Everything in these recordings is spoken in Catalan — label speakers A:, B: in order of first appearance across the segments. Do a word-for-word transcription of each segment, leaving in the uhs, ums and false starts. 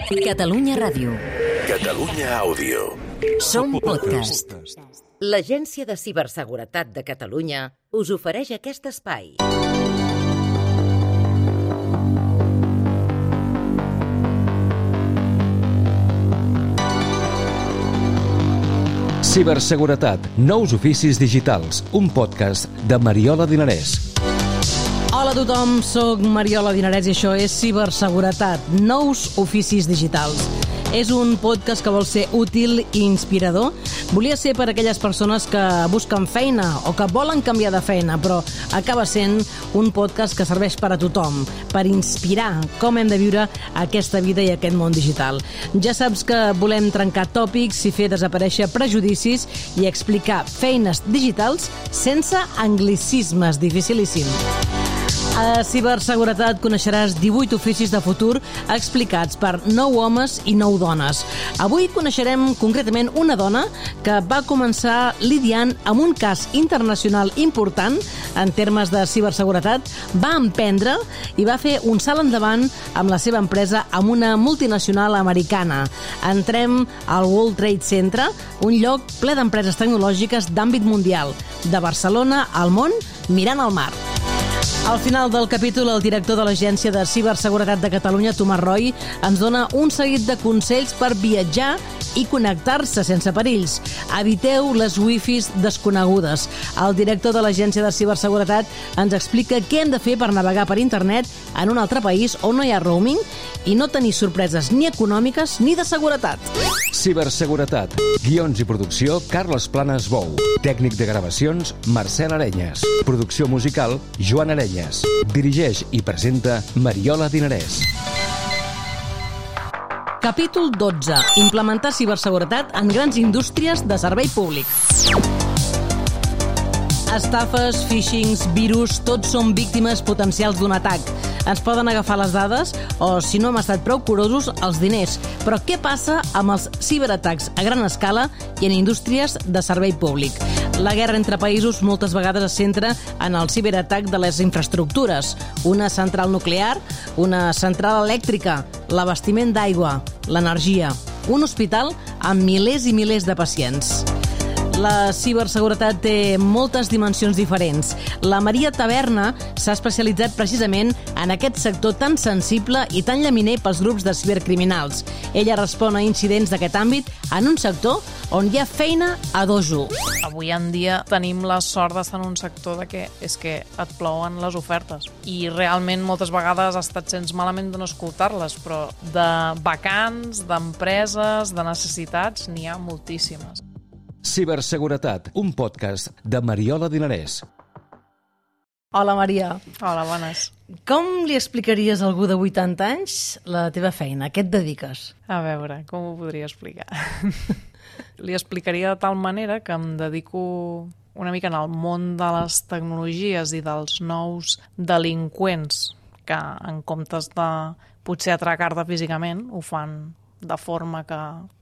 A: Catalunya Ràdio.
B: Catalunya Àudio.
A: Som podcast.
C: L'Agència de Ciberseguretat de Catalunya us ofereix aquest espai.
D: Ciberseguretat, nous oficis digitals, un podcast de Mariola Dinarès.
E: Hola a tothom, soc Mariola Dinarès i això és Ciberseguretat, nous oficis digitals. És un podcast que vol ser útil i inspirador. Volia ser per a aquelles persones que busquen feina o que volen canviar de feina, però acaba sent un podcast que serveix per a tothom, per inspirar com hem de viure aquesta vida i aquest món digital. Ja saps que volem trencar tòpics i fer desaparèixer prejudicis i explicar feines digitals sense anglicismes, dificilíssim. A Ciberseguretat coneixeràs divuit oficis de futur explicats per nou homes i nou dones. Avui coneixerem concretament una dona que va començar lidiant amb un cas internacional important en termes de ciberseguretat, va emprendre i va fer un salt endavant amb la seva empresa amb una multinacional americana. Entrem al World Trade Center, un lloc ple d'empreses tecnològiques d'àmbit mundial, de Barcelona al món, mirant al mar. Al final del capítol, el director de l'Agència de Ciberseguretat de Catalunya, Tomàs Roy, ens dona un seguit de consells per viatjar i connectar-se sense perills. Eviteu les wifis desconegudes. El director de l'Agència de Ciberseguretat ens explica què hem de fer per navegar per internet en un altre país on no hi ha roaming i no tenir sorpreses ni econòmiques ni de seguretat.
D: Ciberseguretat, guions i producció, Carles Planes Bou. Tècnic de gravacions, Marcel Arenyes. Producció musical, Joan Arenyes. Dirigeix i presenta Mariola Dinarès.
E: Capítol dotze. Implementar ciberseguretat en grans indústries de servei públic. Estafes, phishings, virus, tots són víctimes potencials d'un atac. Ens poden agafar les dades o, si no hem estat prou curosos, els diners. Però què passa amb els ciberatacs a gran escala i en indústries de servei públic? La guerra entre països moltes vegades es centra en el ciberatac de les infraestructures. Una central nuclear, una central elèctrica, l'abastiment d'aigua, l'energia, un hospital amb milers i milers de pacients. La ciberseguretat té moltes dimensions diferents. La Maria Taberna s'ha especialitzat precisament en aquest sector tan sensible i tan llaminer pels grups de cibercriminals. Ella respon a incidents d'aquest àmbit en un sector on hi ha feina a dojo.
F: Avui en dia tenim la sort d'estar en un sector de que és que et plouen les ofertes. I realment moltes vegades has estat sents malament de no escoltar-les, però de vacants, d'empreses, de necessitats, n'hi ha moltíssimes.
D: Ciberseguretat, un podcast de Mariola Dinarès.
E: Hola, Maria.
F: Hola, bones.
E: Com li explicaries a algú de vuitanta anys la teva feina? A què et dediques?
F: A veure, com ho podria explicar? Li explicaria de tal manera que em dedico una mica en el món de les tecnologies i dels nous delinqüents que, en comptes de potser atracar-te físicament, ho fan de forma que,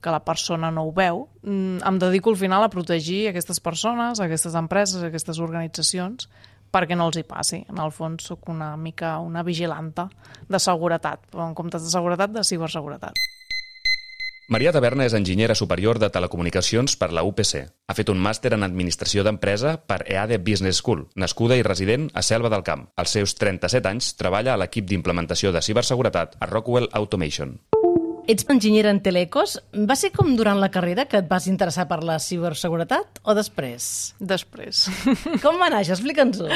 F: que la persona no ho veu. Em dedico al final a protegir aquestes persones, aquestes empreses, aquestes organitzacions, perquè no els hi passi. En el fons soc una mica una vigilanta de seguretat, però en comptes de seguretat, de ciberseguretat.
G: Maria Taberna és enginyera superior de telecomunicacions per la U P C. Ha fet un màster en administració d'empresa per E A D E Business School, nascuda i resident a Selva del Camp. Als seus trenta-set anys treballa a l'equip d'implementació de ciberseguretat a Rockwell Automation.
E: Ets enginyera en telecos. Va ser com durant la carrera que et vas interessar per la ciberseguretat o després?
F: Després.
E: Com va néixer? Explica'ns-ho.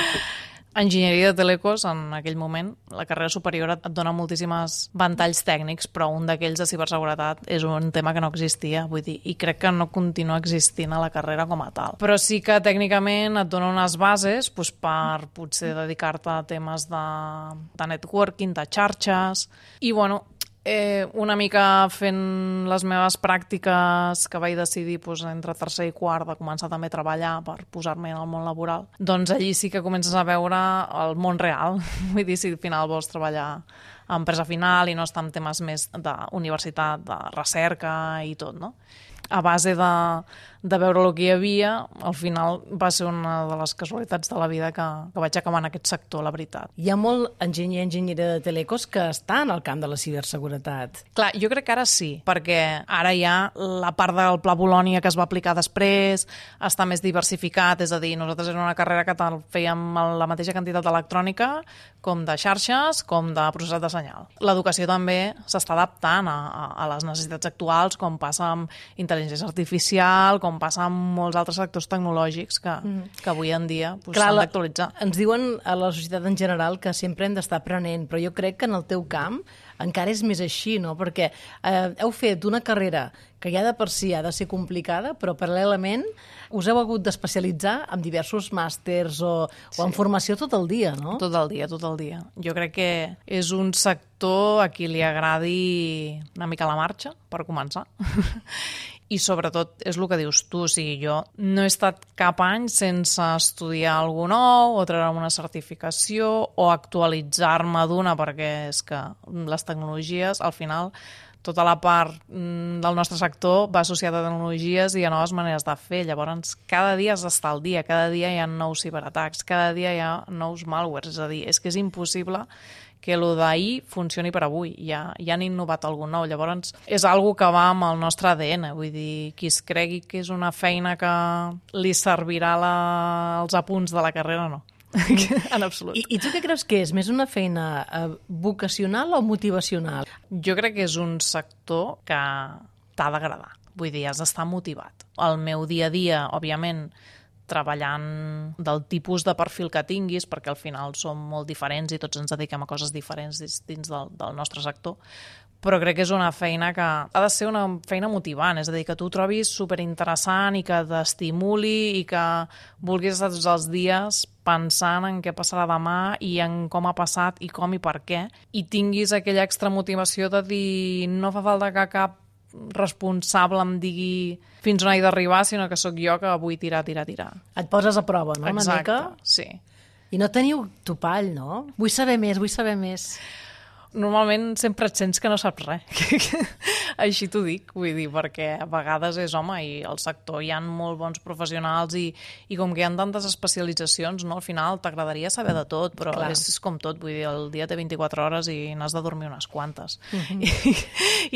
F: Enginyeria de telecos, en aquell moment, la carrera superior et dona moltíssims ventalls tècnics, però un d'aquells de ciberseguretat és un tema que no existia, vull dir, i crec que no continua existint a la carrera com a tal. Però sí que tècnicament et dona unes bases doncs, per potser dedicar-te a temes de, de networking, de xarxes, i bueno, Eh, una mica fent les meves pràctiques que vaig decidir doncs, entre tercer i quart de començar també a treballar per posar-me en el món laboral, doncs allí sí que comences a veure el món real. Vull dir, si al final vols treballar a empresa final i no estar en temes més d'universitat, de recerca i tot, no? a base de, de veure el que hi havia, al final va ser una de les casualitats de la vida que, que vaig acabar en aquest sector, la veritat.
E: Hi ha molt enginyer, enginyera de telecos que està en el camp de la ciberseguretat.
F: Clar, jo crec que ara sí, perquè ara hi ha la part del Pla Bolònia que es va aplicar després, està més diversificat, és a dir, nosaltres era una carrera que fèiem la mateixa quantitat d'electrònica com de xarxes, com de processat de senyal. L'educació també s'està adaptant a, a, a les necessitats actuals, com passa amb intel·ligència artificial, com passa amb molts altres sectors tecnològics que, mm. que avui en dia pues, s'han d'actualitzar.
E: Ens diuen a la societat en general que sempre hem d'estar aprenent, però jo crec que en el teu camp encara és més així, no? Perquè eh, heu fet una carrera que ja de per si ha de ser complicada, però paral·lelament us heu hagut d'especialitzar en diversos màsters o, sí. o en formació tot el dia, no?
F: Tot el dia, tot el dia. Jo crec que és un sector a qui li agradi una mica la marxa, per començar. I sobretot és el que dius tu, o sigui, jo no he estat cap any sense estudiar alguna nou o treure una certificació o actualitzar-me d'una, perquè és que les tecnologies, al final, tota la part del nostre sector va associada a tecnologies i a noves maneres de fer. Llavors, cada dia has d'estar al dia, cada dia hi ha nous ciberatacs, cada dia hi ha nous malwares, és a dir, és que és impossible que el d'ahir funcioni per avui, ja, ja han innovat algun nou. Llavors, és algo que va amb el nostre A D N, vull dir, qui es cregui que és una feina que li servirà la, els apunts de la carrera, no. En absolut.
E: I, I tu què creus que és? Més una feina eh, vocacional o motivacional?
F: Jo crec que és un sector que t'ha d'agradar, vull dir, has d'estar motivat. El meu dia a dia, òbviament, treballant del tipus de perfil que tinguis, perquè al final som molt diferents i tots ens dediquem a coses diferents dins del, del nostre sector, però crec que és una feina que ha de ser una feina motivant, és a dir, que tu ho trobis superinteressant i que t'estimuli i que vulguis estar tots els dies pensant en què passarà demà i en com ha passat i com i per què, i tinguis aquella extra motivació de dir no fa falta que cap responsable em digui fins on he d'arribar, sinó que sóc jo que vull tirar, tirar, tirar.
E: Et poses a prova, no?
F: Exacte,
E: una mica?
F: Sí.
E: I no teniu topall, no? Vull saber més, vull saber més.
F: Normalment sempre et sents que no saps res. Així t'ho dic, vull dir, perquè a vegades és, home, i al sector hi ha molt bons professionals i, i com que hi ha tantes especialitzacions, no, al final t'agradaria saber de tot, però és, és com tot, vull dir, el dia té vint-i-quatre hores i n'has de dormir unes quantes. Uh-huh. I,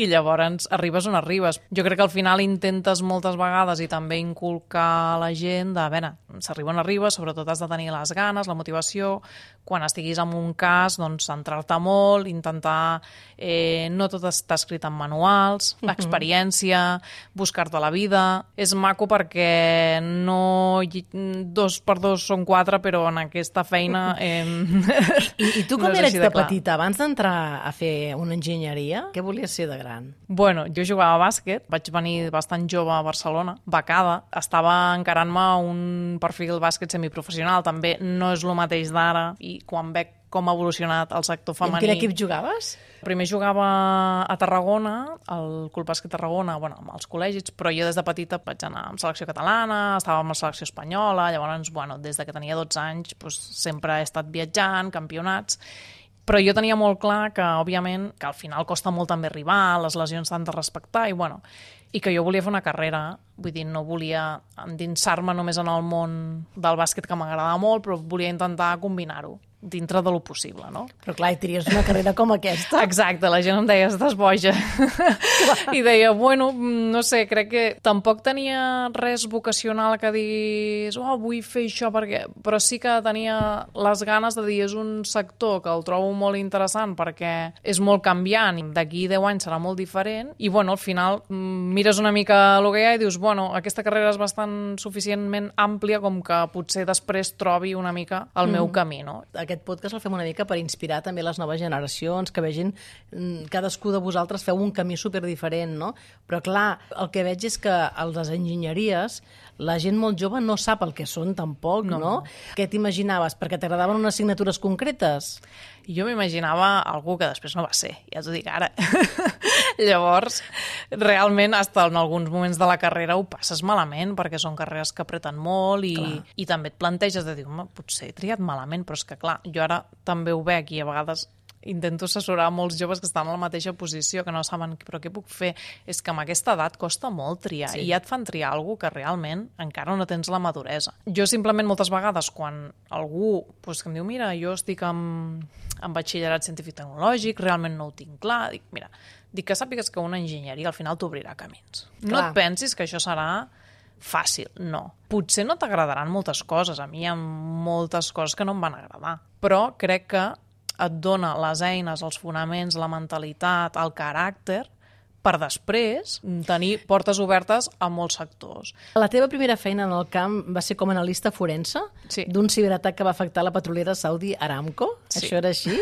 F: I llavors arribes on arribes. Jo crec que al final intentes moltes vegades i també inculcar a la gent de, a veure, s'arriba on arribes, sobretot has de tenir les ganes, la motivació, quan estiguis en un cas, doncs centrar-te molt, intentar, eh, no tot està escrit en manuals, uh-huh. experiència, buscar-te la vida. És maco perquè no dos per dos són quatre, però en aquesta feina... Eh,
E: I, I tu com
F: no
E: eres
F: de,
E: de
F: clar.
E: petita? Abans d'entrar a fer una enginyeria, què volies ser de gran?
F: Bueno, jo jugava a bàsquet, vaig venir bastant jove a Barcelona, becada, estava encarant-me un perfil bàsquet semiprofessional, també no és el mateix d'ara, i quan veig com ha evolucionat el sector femení...
E: I en quin equip jugaves?
F: Primer jugava a Tarragona, al Club Bàsquet Tarragona, bueno, als col·legis, però jo des de petita vaig anar amb selecció catalana, estava amb la selecció espanyola, llavors, bueno, des de que tenia dotze anys, doncs, sempre he estat viatjant, campionats, però jo tenia molt clar que, òbviament, que al final costa molt també arribar, les lesions s'han de respectar, i bueno, i que jo volia fer una carrera, vull dir, no volia endinsar-me només en el món del bàsquet, que m'agradava molt, però volia intentar combinar-ho dintre de lo possible, no?
E: Però clar, i tries una carrera com aquesta.
F: Exacte, la gent em deia, estàs boja. I deia, bueno, no sé, crec que tampoc tenia res vocacional que diguis, oh, vull fer això, perquè... però sí que tenia les ganes de dir, és un sector que el trobo molt interessant perquè és molt canviant, i d'aquí deu anys serà molt diferent, i bueno, al final mires una mica el que hi ha i dius, bueno, aquesta carrera és bastant suficientment àmplia com que potser després trobi una mica el meu mm. camí, no?
E: Aquest podcast el fem una mica per inspirar també les noves generacions, que vegin cadascú de vosaltres feu un camí superdiferent, no? Però clar, el que veig és que a les enginyeries la gent molt jove no sap el que són tampoc, no? no? Què t'imaginaves? Perquè t'agradaven unes assignatures concretes?
F: Jo m'imaginava algú que després no va ser, ja t'ho dic ara. Llavors, realment, hasta en alguns moments de la carrera ho passes malament, perquè són carreres que apreten molt i, i també et planteges de dir, potser he triat malament, però és que clar, jo ara també ho veig i a vegades intento assessorar molts joves que estan a la mateixa posició, que no saben però què puc fer. És que amb aquesta edat costa molt triar, sí. I ja et fan triar alguna que realment encara no tens la maduresa. Jo simplement moltes vegades quan algú pues, que em diu mira, jo estic en, en batxillerat científic tecnològic, realment no ho tinc clar, dic, mira, dic que sàpigues que una enginyeria al final t'obrirà camins. Clar. No et pensis que això serà fàcil, no. Potser no t'agradaran moltes coses, a mi hi ha moltes coses que no em van agradar, però crec que et dona les eines, els fonaments, la mentalitat, el caràcter, per després tenir portes obertes a molts sectors.
E: La teva primera feina en el camp va ser com a analista forense sí. d'un ciberatac que va afectar la petrolera Saudi Aramco? Sí. Això era així?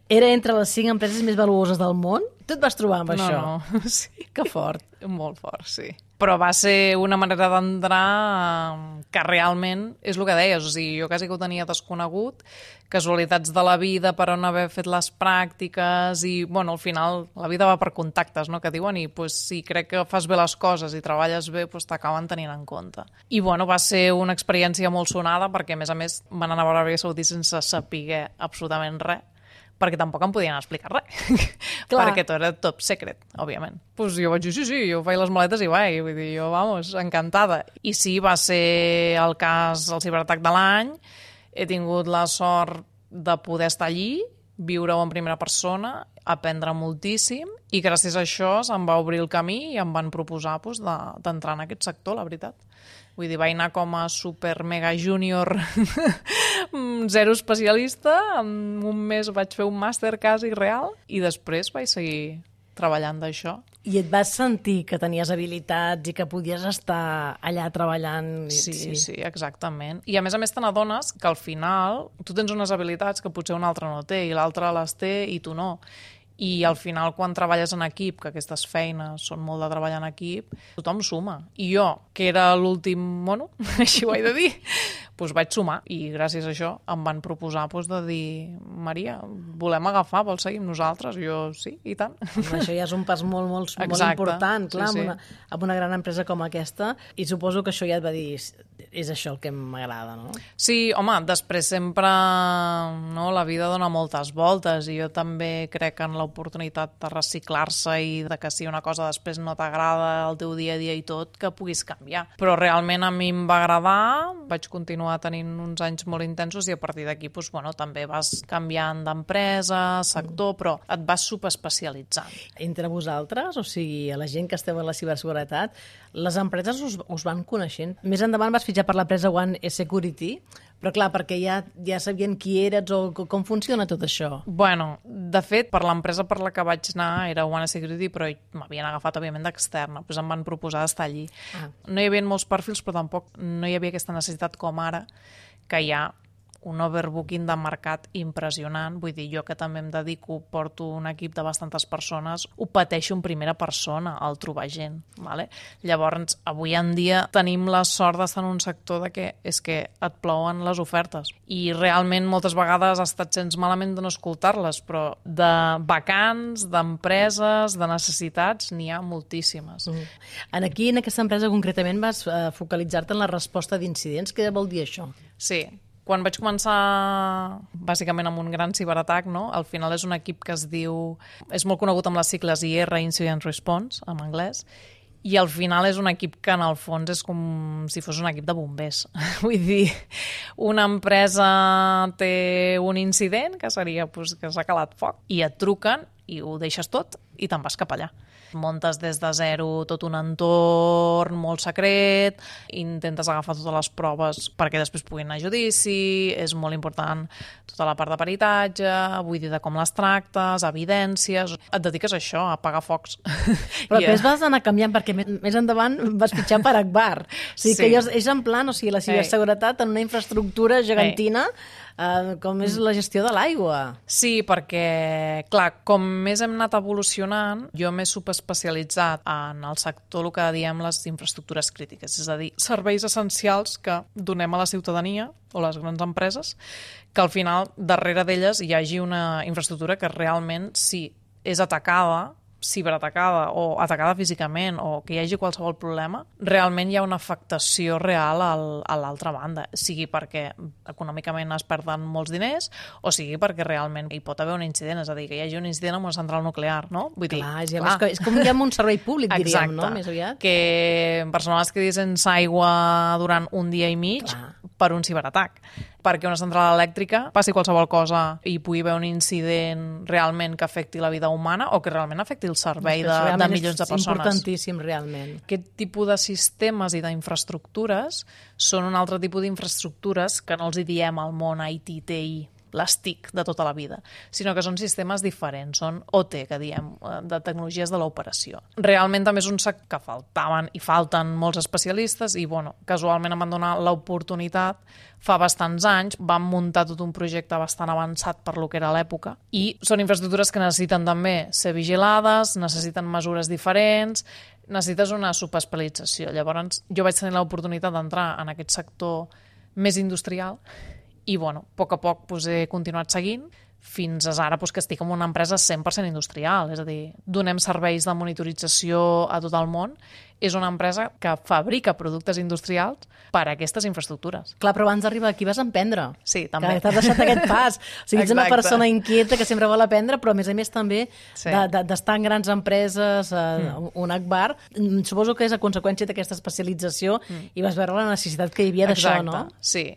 E: Era entre les cinc empreses més valuoses del món? Tu et vas trobar amb
F: no,
E: això?
F: No, sí.
E: Que fort.
F: Molt fort, sí. Però va ser una manera d'entrar que realment és el que deies, o sigui, jo quasi que ho tenia desconegut, casualitats de la vida per on haver fet les pràctiques i, bueno, al final la vida va per contactes, no?, que diuen, i pues, si crec que fas bé les coses i treballes bé, pues, t'acaben tenint en compte. I, bueno, va ser una experiència molt sonada perquè, a més a més, van anar a Aràbia Saudita sense saber absolutament res, perquè tampoc em podien explicar res. Perquè tot era top secret, òbviament. Pues jo vaig dir, sí, sí, jo faig les maletes i vaig. Vull dir, jo, vamos, encantada. I sí, va ser el cas, el ciberatac de l'any. He tingut la sort de poder estar allí, viure-ho en primera persona, aprendre moltíssim, i gràcies a això se'm va obrir el camí i em van proposar pues, d'entrar en aquest sector, la veritat. Vull dir, vaig anar com a super mega júnior zero especialista, en un mes vaig fer un màster quasi real i després vaig seguir treballant d'això.
E: I et vas sentir que tenies habilitats i que podies estar allà treballant?
F: Sí, sí, sí, exactament. I a més a més te n'adones que al final tu tens unes habilitats que potser un altre no té i l'altre les té i tu no. I al final, quan treballes en equip, que aquestes feines són molt de treballar en equip, tothom suma. I jo, que era l'últim mono, així ho he de dir, doncs vaig sumar. I gràcies a això em van proposar doncs, de dir Maria, volem agafar, vols seguir amb nosaltres? Jo, sí, i tant.
E: Això ja és un pas molt, molt, molt important, clar, sí, sí. Amb, una, amb una gran empresa com aquesta. I suposo que això ja et va dir, és això el que m'agrada, no?
F: Sí, home, després sempre no, la vida dona moltes voltes i jo també crec en l'oportunitat de reciclar-se i de que si una cosa després no t'agrada el teu dia a dia i tot, que puguis canviar. Però realment a mi em va agradar, vaig continuar tenint uns anys molt intensos i a partir d'aquí doncs, bueno, també vas canviant d'empresa, sector, però et vas subespecialitzant.
E: Entre vosaltres, o sigui, a la gent que esteu en la ciberseguretat, les empreses us, us van coneixent. Més endavant vas fitxar per l'empresa One Security, però clar, perquè ja, ja sabien qui eres o com funciona tot això?
F: Bueno, de fet, per l'empresa per la que vaig anar era One Security, però m'havien agafat, òbviament, d'externa. Doncs em van proposar d'estar allí. Ah. No hi havia molts perfils, però tampoc no hi havia aquesta necessitat com ara, que hi ha un overbooking de mercat impressionant. Vull dir, jo que també em dedico, porto un equip de bastantes persones, ho pateixo en primera persona, el trobar gent. Vale? Llavors, avui en dia tenim la sort d'estar en un sector de que és que et plouen les ofertes. I realment moltes vegades ha estat gens malament de no escoltar-les, però de vacants, d'empreses, de necessitats, n'hi ha moltíssimes.
E: Mm. En aquí, en aquesta empresa concretament, vas uh, focalitzar-te en la resposta d'incidents. Què vol dir això?
F: Sí. Quan vaig començar, bàsicament amb un gran ciberatac, no? Al final és un equip que es diu... És molt conegut amb les sigles I R, Incident Response, en anglès, i al final és un equip que en el fons és com si fos un equip de bombers. Vull dir, una empresa té un incident, que seria pues, que s'ha calat foc, i et truquen i ho deixes tot i te'n vas cap allà. Montes des de zero tot un entorn molt secret, intentes agafar totes les proves perquè després puguin anar a judici, és molt important tota la part de peritatge, vull dir de com les tractes, evidències, et dediques a això, a apagar focs.
E: Però després vas anar canviant perquè més endavant vas fitxar per Agbar. O sigui sí. que allò és en plan, o sigui, la ciberseguretat en una infraestructura gegantina, Uh, com és la gestió de l'aigua.
F: Sí, perquè, clar, com més hem anat evolucionant, jo m'he subespecialitzat en el sector, el que diem les infraestructures crítiques, és a dir, serveis essencials que donem a la ciutadania o les grans empreses, que al final, darrere d'elles, hi hagi una infraestructura que realment, si és atacada, ciberatacada o atacada físicament o que hi hagi qualsevol problema, realment hi ha una afectació real al, a l'altra banda, sigui perquè econòmicament es perden molts diners o sigui perquè realment hi pot haver un incident, és a dir, que hi hagi un incident amb una central nuclear, no? Vull dir,
E: clar, és, clar. És com hi ha un servei públic, diríem,
F: exacte,
E: no? Més aviat.
F: Que persones es quedi sense aigua durant un dia i mig clar. Per un ciberatac. Perquè una central elèctrica passi qualsevol cosa i pugui haver un incident realment que afecti la vida humana o que realment afecti el servei de, de milions de persones.
E: És importantíssim, realment.
F: Aquest tipus de sistemes i d'infraestructures són un altre tipus d'infraestructures que no els hi diem al món I T, T I, les T I C de tota la vida, sinó que són sistemes diferents, són O T, que diem, de tecnologies de l'operació. Realment també és un sector que faltaven i falten molts especialistes i, bueno, casualment em van donar l'oportunitat fa bastants anys, vam muntar tot un projecte bastant avançat per lo que era l'època i són infraestructures que necessiten també ser vigilades, necessiten mesures diferents, necessites una subespecialització. Llavors, jo vaig tenir l'oportunitat d'entrar en aquest sector més industrial i, bueno, a poc a poc pues, he continuat seguint fins a ara pues, que estic en una empresa cent per cent industrial, és a dir, donem serveis de monitorització a tot el món. És una empresa que fabrica productes industrials per a aquestes infraestructures.
E: Clar, però abans d'arribar aquí vas emprendre.
F: Sí, també.
E: Que t'has deixat aquest pas. O sigui, ets una persona inquieta que sempre vol aprendre, però a més a més també sí. de, de, d'estar en grans empreses, eh, mm. un Agbar. Suposo que és a conseqüència d'aquesta especialització mm. i vas veure la necessitat que hi havia d'això, no?
F: Sí.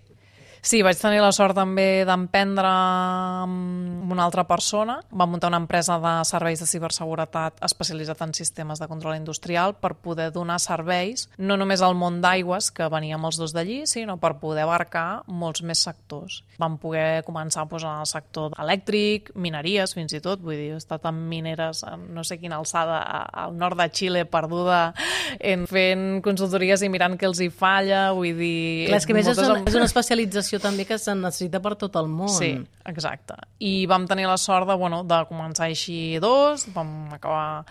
F: Sí, vaig tenir la sort també d'emprendre amb una altra persona. Vam muntar una empresa de serveis de ciberseguretat especialitzat en sistemes de control industrial per poder donar serveis, no només al món d'aigües, que veníem els dos d'allí, sinó per poder abarcar molts més sectors. Vam poder començar doncs, en el sector elèctric, mineries fins i tot, vull dir, he estat en mineres, en no sé quina alçada, al nord de Xile, perduda, en fent consultories i mirant què els hi falla, vull dir...
E: Clar, és que més és una, és una especialització també que se necessita per tot el món.
F: Sí, exacte. I vam tenir la sort de, bueno, de començar així dos, vam acabar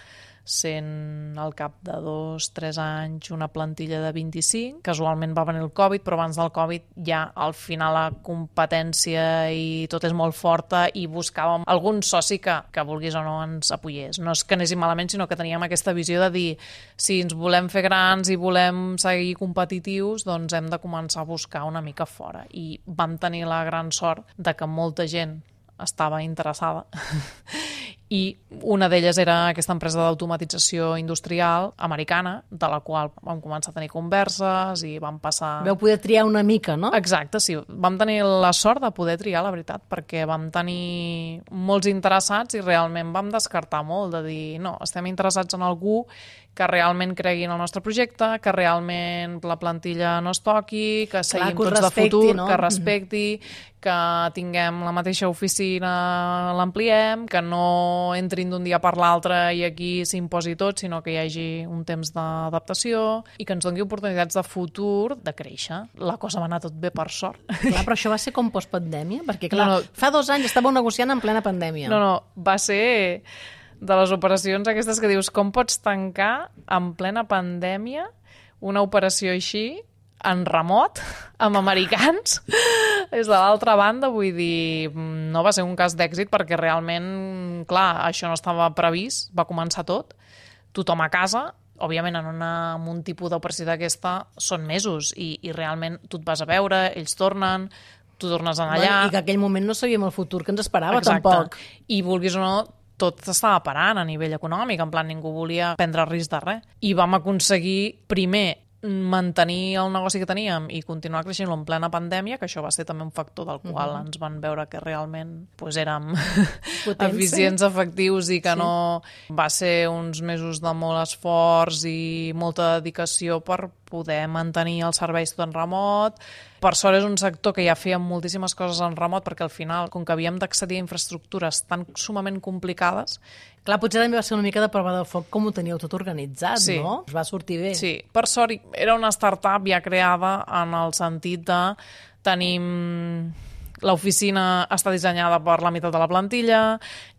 F: sent al cap de dos, tres anys una plantilla de vint-i-cinc. Casualment va venir el Covid, però abans del Covid ja al final la competència i tot és molt forta i buscàvem algun soci que, que vulguis o no ens apoyés. No és que anéssim malament, sinó que teníem aquesta visió de dir si ens volem fer grans i volem seguir competitius, doncs hem de començar a buscar una mica fora. I vam tenir la gran sort de que molta gent estava interessada i una d'elles era aquesta empresa d'automatització industrial americana, de la qual vam començar a tenir converses i vam passar...
E: Vau poder triar una mica, no?
F: Exacte, sí. Vam tenir la sort de poder triar, la veritat, perquè vam tenir molts interessats i realment vam descartar molt, de dir, no, estem interessats en algú que realment cregui en el nostre projecte, que realment la plantilla no es toqui, que seguim Clar, que tots respecti, de futur, no? que respecti, que tinguem la mateixa oficina, l'ampliem, que no entrin d'un dia per l'altre i aquí s'imposi tot, sinó que hi hagi un temps d'adaptació i que ens doni oportunitats de futur de créixer. La cosa va anar tot bé, per sort.
E: Clar, però això va ser com postpandèmia? Perquè, clar,
F: no, no.
E: fa dos anys estàveu negociant en plena pandèmia.
F: No, no, va ser de les operacions aquestes que dius, com pots tancar en plena pandèmia una operació així en remot, amb americans, des de l'altra banda, vull dir, no va ser un cas d'èxit perquè realment, clar, això no estava previst, va començar tot, tothom a casa, òbviament en, una, en un tipus d'operació d'aquesta són mesos i, i realment tu et vas a veure, ells tornen, tu tornes allà...
E: Bueno, I que aquell moment no sabíem el futur que ens esperava,
F: Exacte.
E: tampoc.
F: I vulguis o no, tot estava parant a nivell econòmic, en plan ningú volia prendre risc de res. I vam aconseguir, primer, mantenir el negoci que teníem i continuar creixent en plena pandèmia, que això va ser també un factor del qual uh-huh. ens van veure que realment pues, érem eficients, efectius i que sí. no... Va ser uns mesos de molt esforç i molta dedicació per poder mantenir els serveis tot en remot. Per sort és un sector que ja feia moltíssimes coses en remot perquè al final, com que havíem d'accedir a infraestructures tan sumament complicades...
E: Clar, potser també va ser una mica de prova de foc com ho teníeu tot organitzat,
F: sí.
E: no? Us va sortir bé.
F: Sí, per sort era una startup ja creada en el sentit de tenim... L'oficina està dissenyada per la meitat de la plantilla,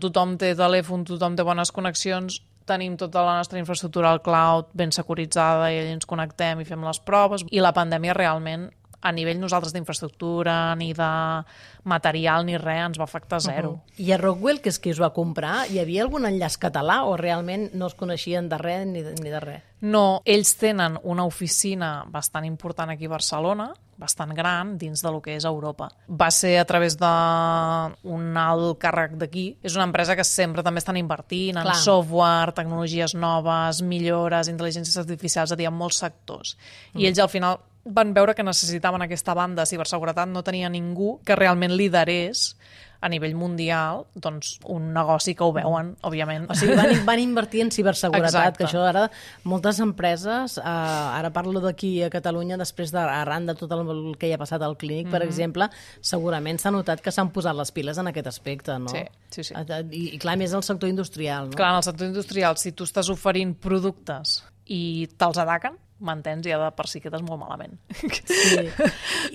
F: tothom té telèfon, tothom té bones connexions, tenim tota la nostra infraestructura al cloud ben securitzada i allà ens connectem i fem les proves. I la pandèmia realment a nivell nosaltres d'infraestructura, ni de material, ni res, ens va afectar zero.
E: Uh-huh. I a Rockwell, que és qui us va comprar, hi havia algun enllaç català o realment no es coneixien de res ni de, ni de res?
F: No, ells tenen una oficina bastant important aquí a Barcelona, bastant gran, dins de lo que és Europa. Va ser a través d'un alt càrrec d'aquí. És una empresa que sempre també estan invertint en
E: Clar.
F: software, tecnologies noves, millores, intel·ligències artificials, és a dir, en molts sectors. Mm. I ells al final van veure que necessitaven aquesta banda de ciberseguretat, no tenia ningú que realment liderés a nivell mundial, doncs, un negoci que ho veuen, òbviament.
E: O sigui, van, van invertir en ciberseguretat,
F: Exacte.
E: que això ara moltes empreses, eh, ara parlo d'aquí a Catalunya, després de, arran de tot el que hi ha passat al Clínic, per mm-hmm. exemple, segurament s'ha notat que s'han posat les piles en aquest aspecte, no?
F: Sí, sí, sí.
E: I, i clar, més el sector industrial, no?
F: Clar, en el sector industrial, si tu estàs oferint productes i te'ls ataquen, m'entens, ja de per si quedes molt malament.
E: Sí.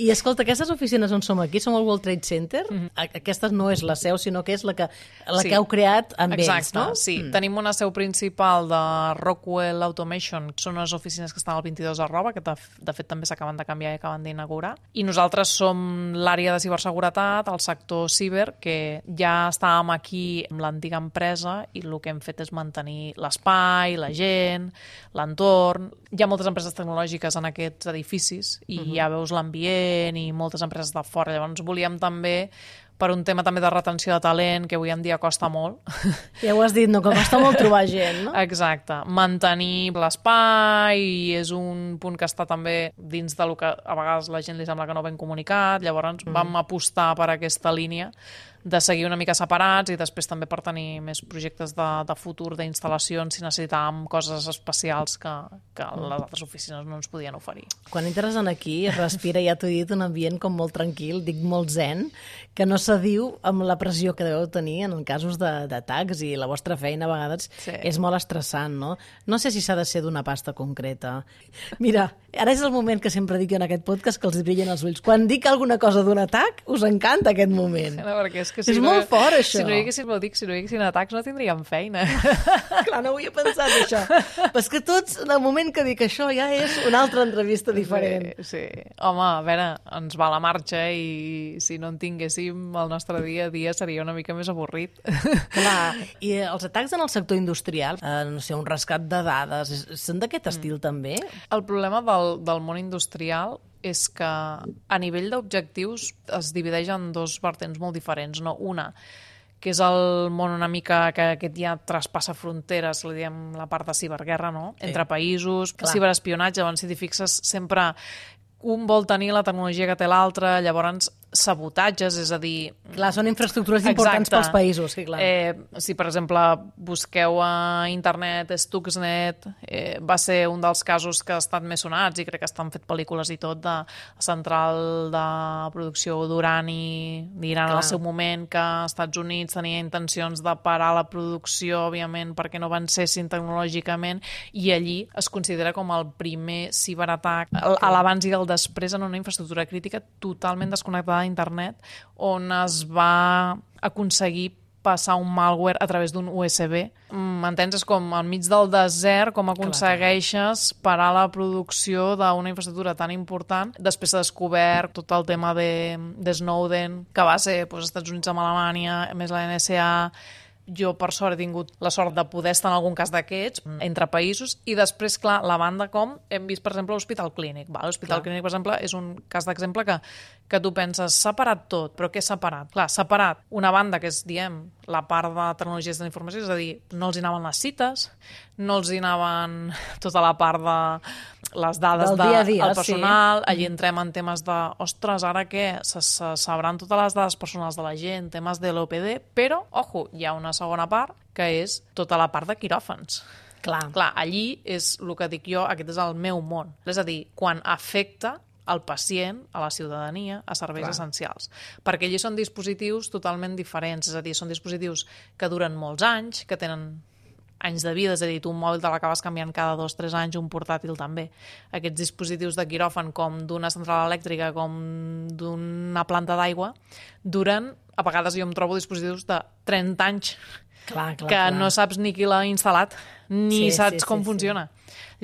E: I escolta, aquestes oficines on som aquí, som al World Trade Center, mm-hmm. aquesta no és la seu, sinó que és la que, la
F: sí.
E: que heu creat amb
F: Exacte,
E: ells, no?
F: sí.
E: Mm.
F: Tenim una seu principal de Rockwell Automation, són unes oficines que estan al vint-i-dos arroba, que de, de fet també s'acaben de canviar i acaben d'inaugurar. I nosaltres som l'àrea de ciberseguretat, el sector ciber, que ja estàvem aquí amb l'antiga empresa i el que hem fet és mantenir l'espai, la gent, l'entorn. Hi ha moltes empreses tecnològiques en aquests edificis i uh-huh. ja veus l'ambient i moltes empreses de fora. Llavors volíem també, per un tema també de retenció de talent, que avui en dia costa molt.
E: Ja ho has dit, no? Que costa molt trobar gent, no?
F: Exacte. Mantenir l'espai i és un punt que està també dins del que a vegades la gent li sembla que no ben comunicat. Llavors mm. vam apostar per aquesta línia de seguir una mica separats i després també per tenir més projectes de, de futur, d'instal·lacions, si necessitàvem coses especials que, que les altres oficines no ens podien oferir.
E: Quan entres en aquí, es respira, ja t'ho he dit, un ambient com molt tranquil, dic molt zen, que no s'adiu amb la pressió que deveu tenir en casos d'atacs i la vostra feina a vegades sí. és molt estressant, no? No sé si s'ha de ser d'una pasta concreta. Mira, ara és el moment que sempre dic en aquest podcast que els brillen els ulls. Quan dic alguna cosa d'un atac, us encanta aquest moment.
F: No, perquè és que si
E: és
F: no,
E: molt fort, això.
F: Si no hi haguessin, ho dic, si no hi haguessin atacs no tindríem feina.
E: Clar, no ho havia pensat, això. Però és que tots, en el moment que dic això, ja és una altra entrevista diferent.
F: Sí, sí. Home, a veure, ens va la marxa i si no en tinguéssim, el nostre dia a dia seria una mica més avorrit.
E: Clar, i els atacs en el sector industrial, eh, no sé, un rescat de dades, són d'aquest estil mm. també?
F: El problema del, del món industrial és que a nivell d'objectius es divideix en dos vertents molt diferents, no? Una, que és el món una mica que aquest ja traspassa fronteres, li diem la part de ciberguerra, no? Sí. Entre països, Clar. Ciberespionatge, llavors si t'hi fixes sempre un vol tenir la tecnologia que té l'altre, llavors sabotatges, és a dir...
E: Clar, són infraestructures importants Exacte. Pels països, sí, clar.
F: Eh, si, per exemple, busqueu a internet Stuxnet, eh, va ser un dels casos que ha estat més sonats i crec que estan fet pel·lícules i tot de central de producció d'urani d'Iran al seu moment, que als Estats Units tenia intencions de parar la producció, òbviament, perquè no avancessin tecnològicament, i allí es considera com el primer ciberatac, a l'abans i el després en una infraestructura crítica totalment desconnectada d'internet, on es va aconseguir passar un malware a través d'un U S B. M'entens? És com al mig del desert, com aconsegueixes parar la producció d'una infraestructura tan important. Després s'ha descobert tot el tema de, de Snowden, que va ser doncs, als Estats Units amb Alemanya, més la N S A. Jo, per sort, he tingut la sort de poder estar en algun cas d'aquests, entre països, i després, clar, la banda com hem vist, per exemple, l'Hospital Clínic. L'Hospital Clínic, per exemple, és un cas d'exemple que, que tu penses, s'ha parat tot, però què s'ha parat? Clar, s'ha parat una banda que és, diem, la part de tecnologies de la informació, és a dir, no els hi anaven les cites, no els hi anaven tota la part de les dades del de, dia a dia, el personal, sí. Allí entrem en temes de, ostres, ara què? Se, se sabran totes les dades personals de la gent, temes de l'O P D, però, ojo, hi ha una segona part, que és tota la part de quiròfans.
E: Clar.
F: Clar, allí és el que dic jo, aquest és el meu món. És a dir, quan afecta al pacient, a la ciutadania, a serveis Clar. Essencials. Perquè allí són dispositius totalment diferents, és a dir, són dispositius que duren molts anys, que tenen anys de vida, és a dir, tu un mòbil te l'acabes canviant cada dos o tres anys, un portàtil també. Aquests dispositius de quiròfan, com d'una central elèctrica, com d'una planta d'aigua, duren, a vegades jo em trobo dispositius de trenta anys,
E: clar, clar,
F: que
E: clar.
F: no saps ni qui l'ha instal·lat. ni
E: Sí,
F: saps
E: sí,
F: com
E: sí,
F: funciona.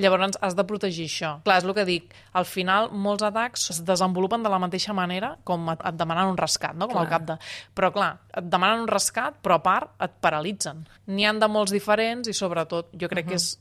F: Llavors has de protegir això. Clar, és el que dic, al final molts atacs es desenvolupen de la mateixa manera com et et demanen un rescat, no? Com
E: Clar.
F: el cap de... Però clar, et demanen un rescat, però a part et paralitzen. N'hi han de molts diferents i sobretot jo crec que és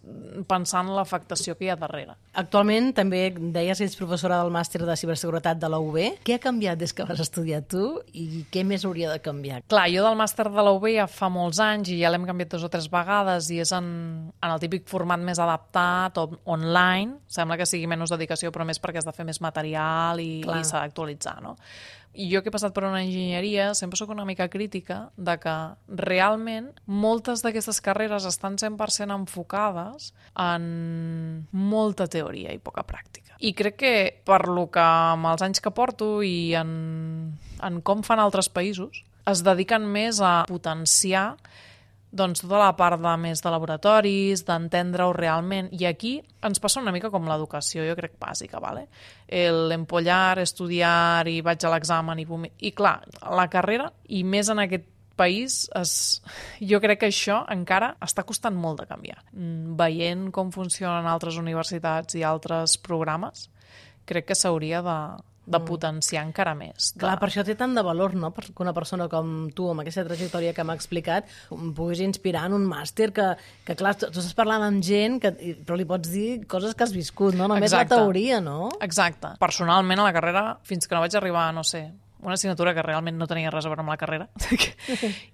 F: pensant en l'afectació que hi ha darrere.
E: Actualment també deies que ets professora del màster de ciberseguretat de la U B. Què ha canviat des que vas estudiar tu i què més hauria de canviar?
F: Clar, jo del màster de la U B ja fa molts anys i ja l'hem canviat dues o tres vegades i és en, en el típic format més adaptat o online. Sembla que sigui menys dedicació, però més perquè has de fer més material i, i s'ha d'actualitzar, no? I jo que he passat per una enginyeria sempre sóc una mica crítica de que realment moltes d'aquestes carreres estan cent per cent enfocades en molta teoria i poca pràctica. I crec que per lo que amb els anys que porto i en, en com fan altres països es dediquen més a potenciar doncs tota la part de més de laboratoris, d'entendre-ho realment. I aquí ens passa una mica com l'educació, jo crec, bàsica, ¿vale? El empollar, estudiar i vaig a l'examen i... I clar, la carrera, i més en aquest país, es... jo crec que això encara està costant molt de canviar. Veient com funcionen altres universitats i altres programes, crec que s'hauria de... de potenciar encara més. De...
E: Clar, per això té tant de valor, no?, que una persona com tu, amb aquesta trajectòria que m'ha explicat, em puguis inspirar en un màster que, que clar, tu estàs parlant amb gent, que, però li pots dir coses que has viscut, no? Només Exacte. La teoria, no?
F: Exacte. Personalment, a la carrera, fins que no vaig arribar, no sé, una assignatura que realment no tenia res a veure amb la carrera.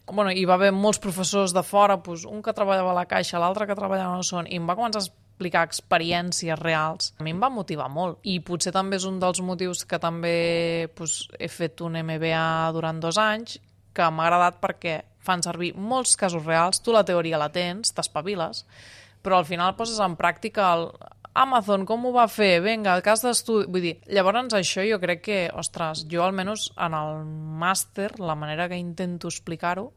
F: Bueno, hi va haver molts professors de fora, doncs, un que treballava a la Caixa, l'altre que treballava a no son, i em va començar a explicar experiències reals. A mi em va motivar molt. I potser també és un dels motius que també doncs, he fet un M B A durant dos anys, que m'ha agradat perquè fan servir molts casos reals, tu la teoria la tens, t'espaviles, però al final poses en pràctica el Amazon, com ho va fer? Vinga, el cas d'estudi... Vull dir, llavors això jo crec que, ostres, jo almenys en el màster, la manera que intento explicar-ho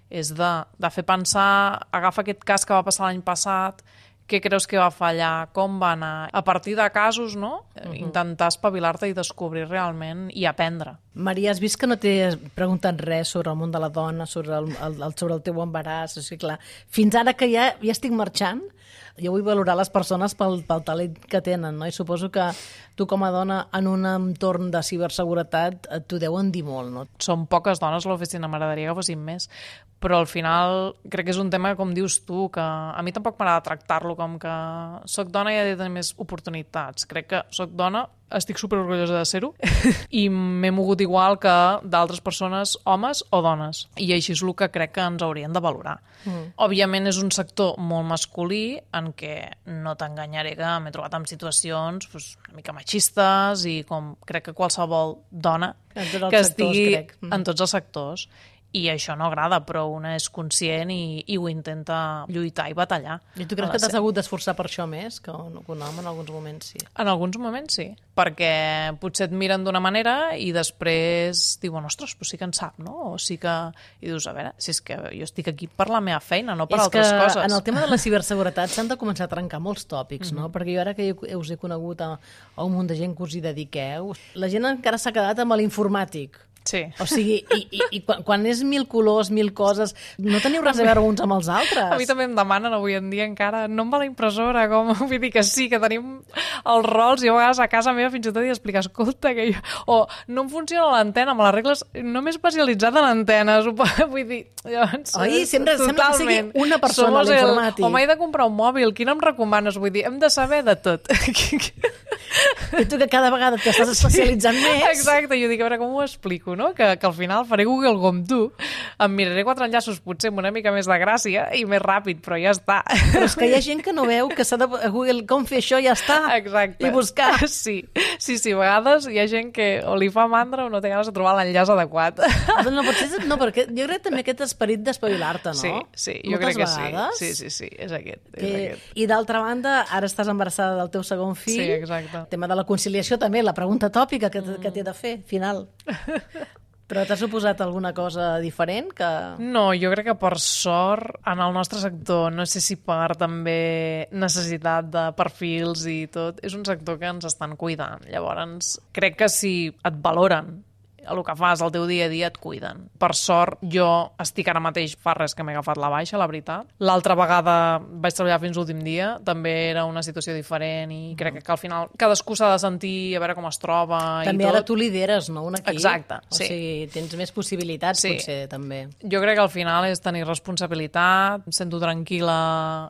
F: és de, de fer pensar, agafa aquest cas que va passar l'any passat, què creus que va fallar, com va anar, a partir de casos, no? Uh-huh. Intentar espavilar-te i descobrir realment i aprendre.
E: Maria, has vist que no t'he preguntat res sobre el món de la dona, sobre el, el, sobre el teu embaràs, o sigui, clar, fins ara que ja, ja estic marxant, jo vull valorar les persones pel, pel talent que tenen, no? I suposo que tu com a dona en un entorn de ciberseguretat t'ho deuen dir molt, no?
F: Són poques dones a l'oficina, m'agradaria que fossin més, però al final crec que és un tema, com dius tu, que a mi tampoc m'agrada tractar-lo com que soc dona i he de tenir més oportunitats. Crec que soc dona, estic superorgullosa de ser-ho i m'he mogut igual que d'altres persones, homes o dones. I així és el que crec que ens haurien de valorar. Mm. Òbviament és un sector molt masculí en què no t'enganyaré que m'he trobat en situacions pues, una mica machistes i com crec que qualsevol dona que estigui
E: sectors, mm.
F: en tots els sectors. I això no agrada, però una és conscient i, i ho intenta lluitar i batallar.
E: I tu creus que t'has hagut d'esforçar per això més que un, que un home en alguns moments, sí?
F: En alguns moments sí, perquè potser et miren d'una manera i després diuen, ostres, però sí que en sap, no? O sí que... I dius, a veure, si és que jo estic aquí per la meva feina, no per
E: és
F: altres coses.
E: És que en el tema de la ciberseguretat s'han de començar a trencar molts tòpics, mm-hmm. no? Perquè jo ara que us he conegut a, a un munt de gent que us hi dediqueu, la gent encara s'ha quedat amb l'informàtic.
F: Sí.
E: O sigui, i, i, i quan, quan és mil colors, mil coses, no teniu res a veure uns amb els altres.
F: A mi també em demanen avui en dia encara, no em va la impressora, com, vull dir que sí, que tenim els rols, i a vegades a casa meva fins i tot he d'explicar, escolta, que jo... O no em funciona l'antena, amb les regles, no m'he especialitzat en antenes, vull dir... Llavors,
E: Oi, sempre sembla que sigui una persona a l'informàtic.
F: O m'he de comprar un mòbil, quin em recomanes? Vull dir, hem de saber de tot.
E: I tu que cada vegada t'estàs especialitzant
F: sí,
E: més.
F: Exacte, jo dic, a veure, com ho explico, no? Que, que al final faré Google com tu, em miraré quatre enllaços potser amb una mica més de gràcia i més ràpid, però ja està.
E: Però és que hi ha gent que no veu que s'ha de Google com fer això, ja està.
F: Exacte.
E: I buscar.
F: Sí, sí, sí, a vegades hi ha gent que o li fa mandra o no té ganes de trobar l'enllaç adequat.
E: No, potser, no, perquè jo crec també aquest esperit d'espavilar-te, no?
F: Sí, sí, jo
E: Moltes
F: crec que
E: vegades,
F: sí. Sí, sí, sí, és aquest.
E: Que...
F: És aquest.
E: I d'altra banda, ara estàs embarassada del teu segon fill.
F: Sí, exacte.
E: El tema de la conciliació també, la pregunta tòpica que, mm. que t'he de fer, final. Però t'ha suposat alguna cosa diferent? Que...
F: No, jo crec que per sort en el nostre sector, no sé si per també necessitat de perfils i tot, és un sector que ens estan cuidant. Llavors, crec que si et valoren el que fas el teu dia a dia et cuiden. Per sort, jo estic ara mateix, fa res que m'he agafat la baixa, la veritat. L'altra vegada vaig treballar fins l'últim dia, també era una situació diferent i crec que al final cadascú s'ha de sentir a veure com es troba i tot.
E: També ara tu lideres, no?, un equip.
F: Exacte,
E: o
F: sí.
E: O sigui, tens més possibilitats,
F: sí.
E: Potser, també.
F: Jo crec que al final és tenir responsabilitat, em sento tranquil·la,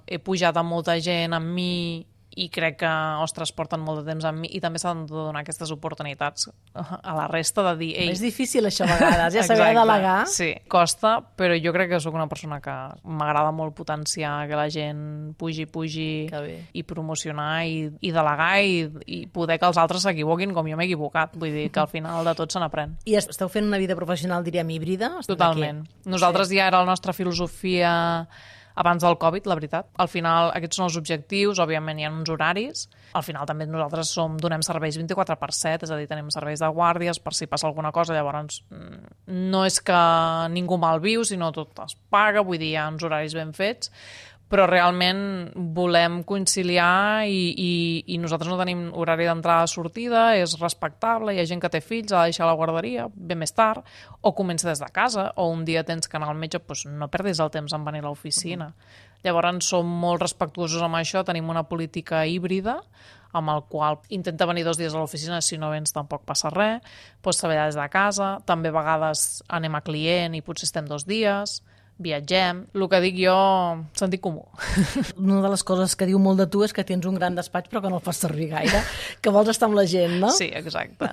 F: he pujat amb molta gent, amb mi, i crec que, ostres, porten molt de temps amb mi i també s'han de donar aquestes oportunitats a la resta de dir... Ei,
E: és difícil això a vegades, ja saber delegar.
F: Sí, costa, però jo crec que sóc una persona que m'agrada molt potenciar que la gent pugi, pugi i promocionar i, i delegar i, i poder que els altres s'equivoquin com jo m'he equivocat. Vull dir que al final de tot se n'aprèn.
E: I esteu fent una vida professional, diríem, híbrida?
F: Totalment. Nosaltres sí. Ja era la nostra filosofia... abans del Covid, la veritat. Al final, aquests són els objectius, òbviament hi ha uns horaris. Al final també nosaltres som, donem serveis vint-i-quatre per set, és a dir, tenim serveis de guàrdies per si passa alguna cosa, llavors no és que ningú mal viu, sinó tot es paga, vull dir, hi ha uns horaris ben fets, però realment volem conciliar i, i, i nosaltres no tenim horari d'entrada-sortida, és respectable, hi ha gent que té fills, ha de deixar la guarderia, ve més tard, o comença des de casa, o un dia tens que anar al metge, doncs no perdis el temps en venir a l'oficina. Uh-huh. Llavors som molt respectuosos amb això, tenim una política híbrida, amb el qual intenta venir dos dies a l'oficina, si no vens tampoc passa res, pots treballar des de casa, també a vegades anem a client i potser estem dos dies, viatgem, el que dic jo, sentit comú.
E: Una de les coses que diu molt de tu és que tens un gran despatx però que no el fas servir gaire, que vols estar amb la gent, no?
F: Sí, exacte.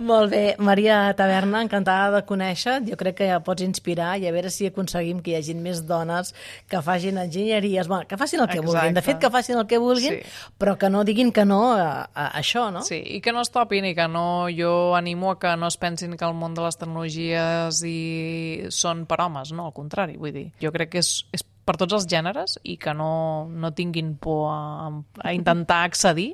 E: Molt bé, Maria Taberna, encantada de conèixer, jo crec que ja pots inspirar i a veure si aconseguim que hi hagin més dones que facin enginyeries, bueno, que facin el que exacte. vulguin, de fet que facin el que vulguin, sí. Però que no diguin que no a, a això, no?
F: Sí, i que no es topin i que no, jo animo a que no es pensin que el món de les tecnologies i són per homes, no, al contrari. Vull dir, jo crec que és, és per tots els gèneres i que no, no tinguin por a, a intentar accedir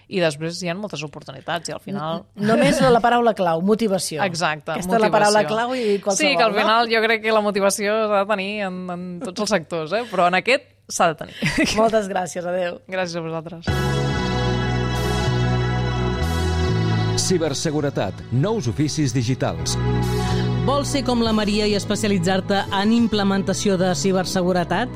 F: i després hi ha moltes oportunitats i al final...
E: Només la paraula clau, motivació.
F: Exacte,
E: aquesta
F: motivació.
E: És la paraula clau i qualsevol,
F: sí, que al final
E: no?
F: Jo crec que la motivació s'ha de tenir en, en tots els sectors, eh? Però en aquest s'ha de tenir.
E: Moltes gràcies, adeu.
F: Gràcies a vosaltres.
D: Ciberseguretat, nous oficis digitals.
E: Vols ser com la Maria i especialitzar-te en implementació de ciberseguretat?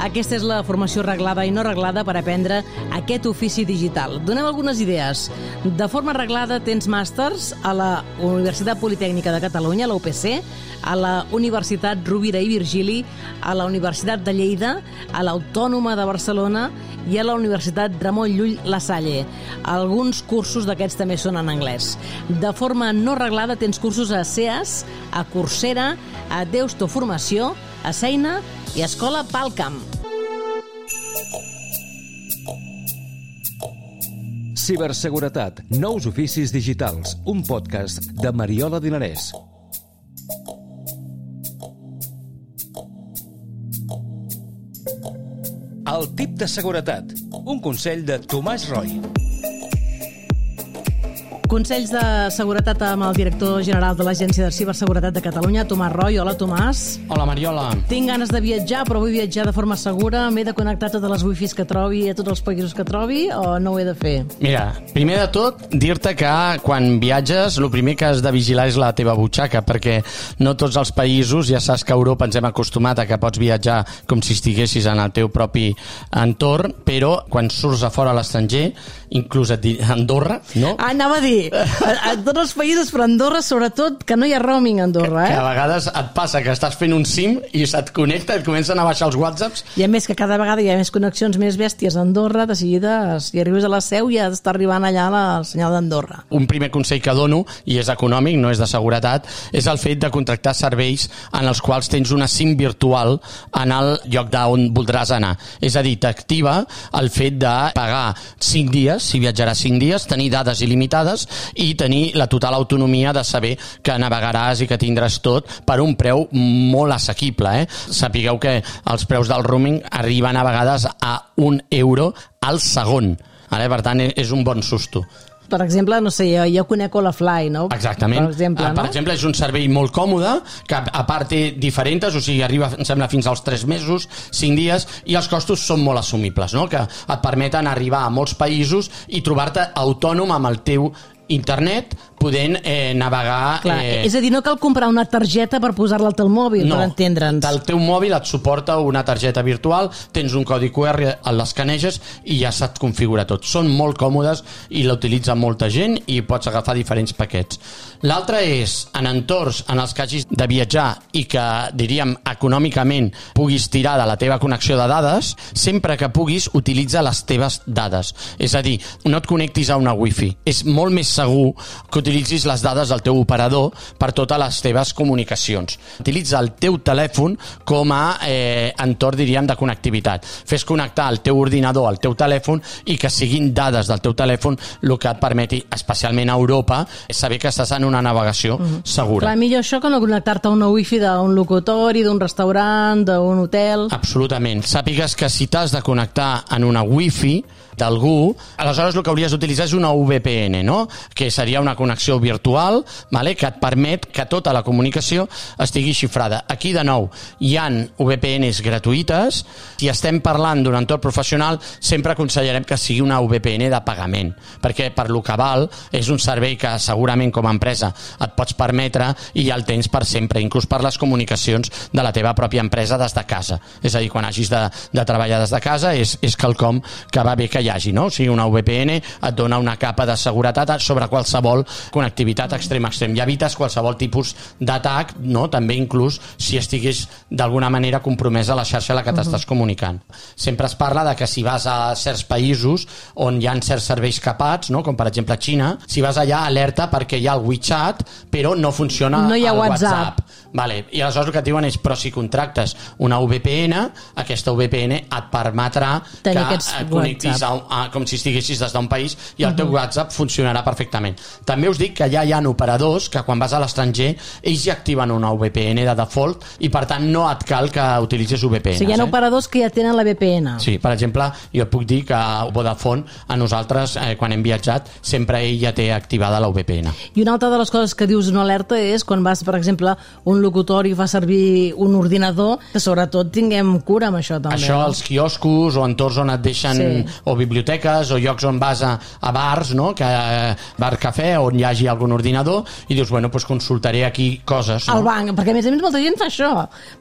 E: Aquesta és la formació reglada i no reglada per aprendre aquest ofici digital. Donem algunes idees. De forma reglada tens màsters a la Universitat Politècnica de Catalunya, la U P C, a la Universitat Rovira i Virgili, a la Universitat de Lleida, a l'Autònoma de Barcelona i a la Universitat Ramon Llull La Salle. Alguns cursos d'aquests també són en anglès. De forma no reglada tens cursos a C E A S, a Coursera, a Deusto Formació, a Seina i a Escola Palcam.
D: Ciberseguretat, nous oficis digitals, un podcast de Mariola Dinarès. El tip de seguretat, un consell de Tomàs Roy.
E: Consells de seguretat amb el director general de l'Agència de Ciberseguretat de Catalunya, Tomàs Roy. Hola, Tomàs.
H: Hola, Mariola.
E: Tinc ganes de viatjar, però vull viatjar de forma segura. M'he de connectar a totes les wifis que trobi, a tots els països que trobi, o no ho he de fer?
H: Mira, primer de tot, dir-te que quan viatges, el primer que has de vigilar és la teva butxaca, perquè no tots els països, ja saps que a Europa ens hem acostumat a que pots viatjar com si estiguessis en el teu propi entorn, però quan surts a fora a l'estranger, inclús et diré Andorra, no?
E: Ah, anava a dir, a, a tots els països, però Andorra, sobretot, que no hi ha roaming a Andorra, eh?
H: Que a vegades et passa que estàs fent un SIM i se't connecta, et comencen a baixar els whatsapps.
E: I a més que cada vegada hi ha més connexions més bèsties a Andorra, de seguida, si arribes a la Seu ja està arribant allà la, el senyal d'Andorra.
H: Un primer consell que dono, i és econòmic, no és de seguretat, és el fet de contractar serveis en els quals tens una SIM virtual en el lloc d'on voldràs anar. És a dir, t'activa el fet de pagar cinc dies, si viatjaràs cinc dies, tenir dades il·limitades i tenir la total autonomia de saber que navegaràs i que tindràs tot per un preu molt assequible. Eh? Sapigueu que els preus del roaming arriben a vegades a un euro al segon. Eh? Per tant, és un bon susto.
E: Per exemple, no sé, jo, jo conec Olafly, no?
H: Exactament.
E: Per exemple, no?
H: Per exemple, és un servei molt còmode, que a part té diferents, o sigui, arriba, em sembla, fins als tres mesos, cinc dies, i els costos són molt assumibles, no? Que et permeten arribar a molts països i trobar-te autònom amb el teu internet podent eh, navegar...
E: Clar,
H: eh...
E: és a dir, no cal comprar una targeta per posar-la al teu mòbil,
H: no,
E: per entendre'ns.
H: el teu mòbil et suporta una targeta virtual, tens un codi Q R, l'escaneges i ja se't configura tot. Són molt còmodes i la utilitza molta gent i pots agafar diferents paquets. L'altre és, en entorns en els que hagis de viatjar i que, diríem, econòmicament puguis tirar de la teva connexió de dades, sempre que puguis, utilitza les teves dades. És a dir, no et connectis a una wifi. És molt més segur que utilitzis les dades del teu operador per totes les teves comunicacions. Utilitza el teu telèfon com a eh, entorn, diríem, de connectivitat. Fes connectar el teu ordinador al teu telèfon i que siguin dades del teu telèfon el que et permeti, especialment a Europa, saber que estàs en una navegació mm-hmm. segura.
E: Clar, millor això que no connectar-te a una wifi d'un locutori, d'un restaurant, d'un hotel...
H: Absolutament. Sàpigues que si t'has de connectar en una wifi d'algú, aleshores el que hauries d'utilitzar és una V P N, no? Que seria una connexió virtual, vale? Que et permet que tota la comunicació estigui xifrada. Aquí, de nou, hi ha V P Ns gratuïtes. Si estem parlant d'un entorn professional, sempre aconsellarem que sigui una V P N de pagament, perquè per lo que val és un servei que segurament com a empresa et pots permetre i ja el tens per sempre, inclús per les comunicacions de la teva pròpia empresa des de casa. És a dir, quan hagis de, de treballar des de casa és, és quelcom que va bé que hi hagi, no? O sigui, una V P N et dona una capa de seguretat sobre qualsevol connectivitat extrem a extrem. Ja evites qualsevol tipus d'atac, no? També inclús si estigués d'alguna manera compromesa la xarxa a la que t'estàs comunicant. Sempre es parla de que si vas a certs països on hi ha certs serveis capats, no? Com per exemple Xina, si vas allà alerta perquè hi ha el WeChat però no funciona
E: no hi ha
H: el
E: WhatsApp.
H: WhatsApp. Vale. I aleshores el que et diuen és, però si contractes una V P N, aquesta V P N et permetrà
E: tenir
H: que et connectis a, a, com si estiguessis des d'un país i el teu uh-huh. WhatsApp funcionarà perfectament. També us dic que ja hi ha operadors que quan vas a l'estranger ells ja activen una V P N de default i per tant no et cal que utilitzis V P Ns.
E: O sigui, hi ha
H: eh?
E: operadors que ja tenen la V P N.
H: Sí, per exemple, jo et puc dir que a Vodafone, a nosaltres, eh, quan hem viatjat, sempre ell ja té activada la V P N.
E: I una altra de les coses que dius una alerta és quan vas, per exemple, un locutori fa servir un ordinador, que sobretot tinguem cura amb això també.
H: Això,
E: no?
H: els quioscos o entorns on et deixen, sí. o biblioteques o llocs on vas a, a bars, no? Que, bar cafè, on hi hagi algun ordinador i dius, bueno, pues consultaré aquí coses. No?
E: Al banc, perquè a més a més molta gent fa això.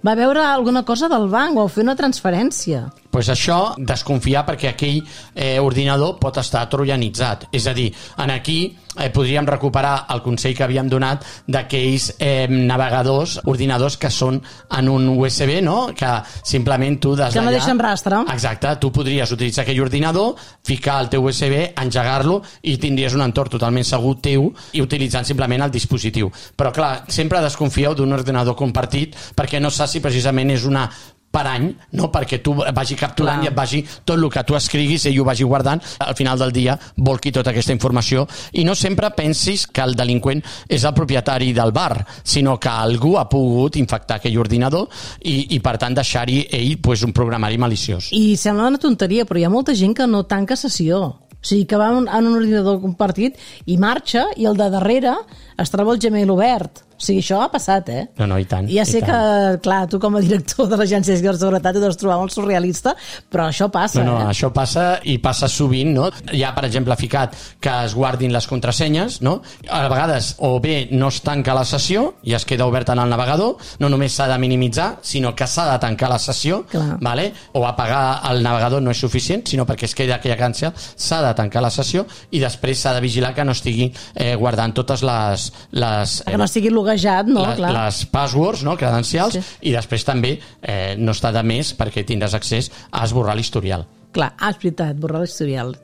E: Va veure alguna cosa del banc o fer una transferència.
H: Pues això, desconfiar perquè aquell eh, ordinador pot estar trojanitzat. És a dir, en aquí eh, podríem recuperar el consell que havíem donat d'aquells eh, navegadors, ordinadors que són en un U S B, no? Que simplement tu des d'allà...
E: Que no deixen rastre.
H: Exacte, tu podries utilitzar aquell ordinador, ficar el teu U S B, engegar-lo i tindries un entorn totalment segur teu i utilitzant simplement el dispositiu. Però clar, sempre desconfieu d'un ordinador compartit perquè no saps si precisament és una per any, no perquè tu vagi capturant Clar. I et vagi tot el que tu escriguis ell ho vagi guardant, al final del dia volqui tota aquesta informació i no sempre pensis que el delinqüent és el propietari del bar, sinó que algú ha pogut infectar aquell ordinador i, i per tant deixar-hi ell pues, un programari maliciós.
E: I sembla una tonteria, però hi ha molta gent que no tanca sessió. O sigui, que va en un ordinador compartit i marxa i el de darrere es troba el Gmail obert. O sigui, això ha passat, eh?
H: No, no, i tant.
E: Ja sé
H: i tant.
E: que, clar, tu com a director de l'Agència de Seguretat ho deus trobar molt surrealista, però això passa,
H: no, no,
E: eh?
H: això passa i passa sovint, no? Hi ha, per exemple, ficat que es guardin les contrasenyes, no? A vegades, o bé no es tanca la sessió i es queda oberta en el navegador, no només s'ha de minimitzar, sinó que s'ha de tancar la sessió, clar. Vale? O apagar el navegador no és suficient, sinó perquè es queda aquella cancel, s'ha de tancar la sessió i després s'ha de vigilar que no estigui eh, guardant totes les... les
E: que no estigui loguejat, no?
H: La,
E: Clar.
H: Les passwords, no? Credencials, sí. I després també eh, no està de més perquè tindràs accés a esborrar l'historial.
E: Clar, ah, és veritat, borrar l'historial.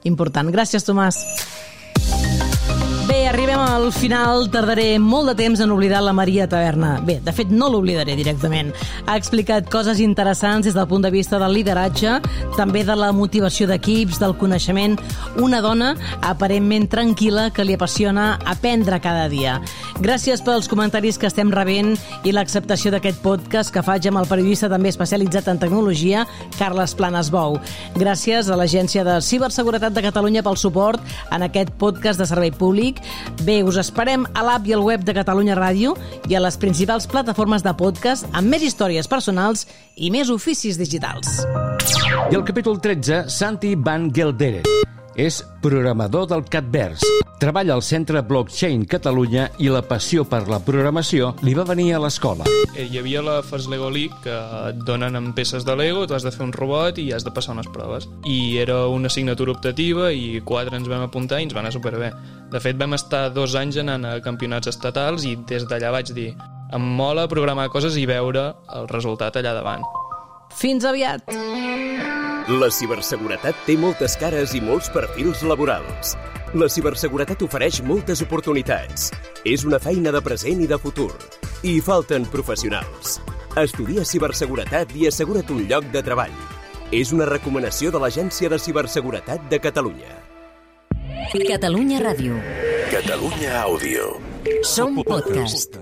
E: Important. Gràcies, Tomàs. Bé, arribem al final. Tardaré molt de temps en oblidar la Maria Taverna. Bé, de fet, no l'oblidaré directament. Ha explicat coses interessants des del punt de vista del lideratge, també de la motivació d'equips, del coneixement. Una dona aparentment tranquil·la que li apassiona aprendre cada dia. Gràcies pels comentaris que estem rebent i l'acceptació d'aquest podcast que faig amb el periodista també especialitzat en tecnologia, Carles Planas Bou. Gràcies a l'Agència de Ciberseguretat de Catalunya pel suport en aquest podcast de servei públic. Bé, us esperem a l'app i al web de Catalunya Ràdio i a les principals plataformes de podcast amb més històries personals i més oficis digitals.
D: I el capítol tretze, Santi van Gelderen. És programador del Catvers. Treballa al Centre Blockchain Catalunya i la passió per la programació li va venir a l'escola.
I: Hi havia la Fast Lego League, que et donen amb peces de Lego, tu has de fer un robot i has de passar unes proves. I era una assignatura optativa i quatre ens vam apuntar i ens va anar superbé. De fet, vam estar dos anys anant a campionats estatals i des d'allà vaig dir em mola programar coses i veure el resultat allà davant.
E: Fins aviat!
B: La ciberseguretat té moltes cares i molts perfils laborals. La ciberseguretat ofereix moltes oportunitats. És una feina de present i de futur. I hi falten professionals. Estudia ciberseguretat i assegura't un lloc de treball. És una recomanació de l'Agència de Ciberseguretat de Catalunya.
A: Catalunya Ràdio.
B: Catalunya Àudio.
A: Som podcast.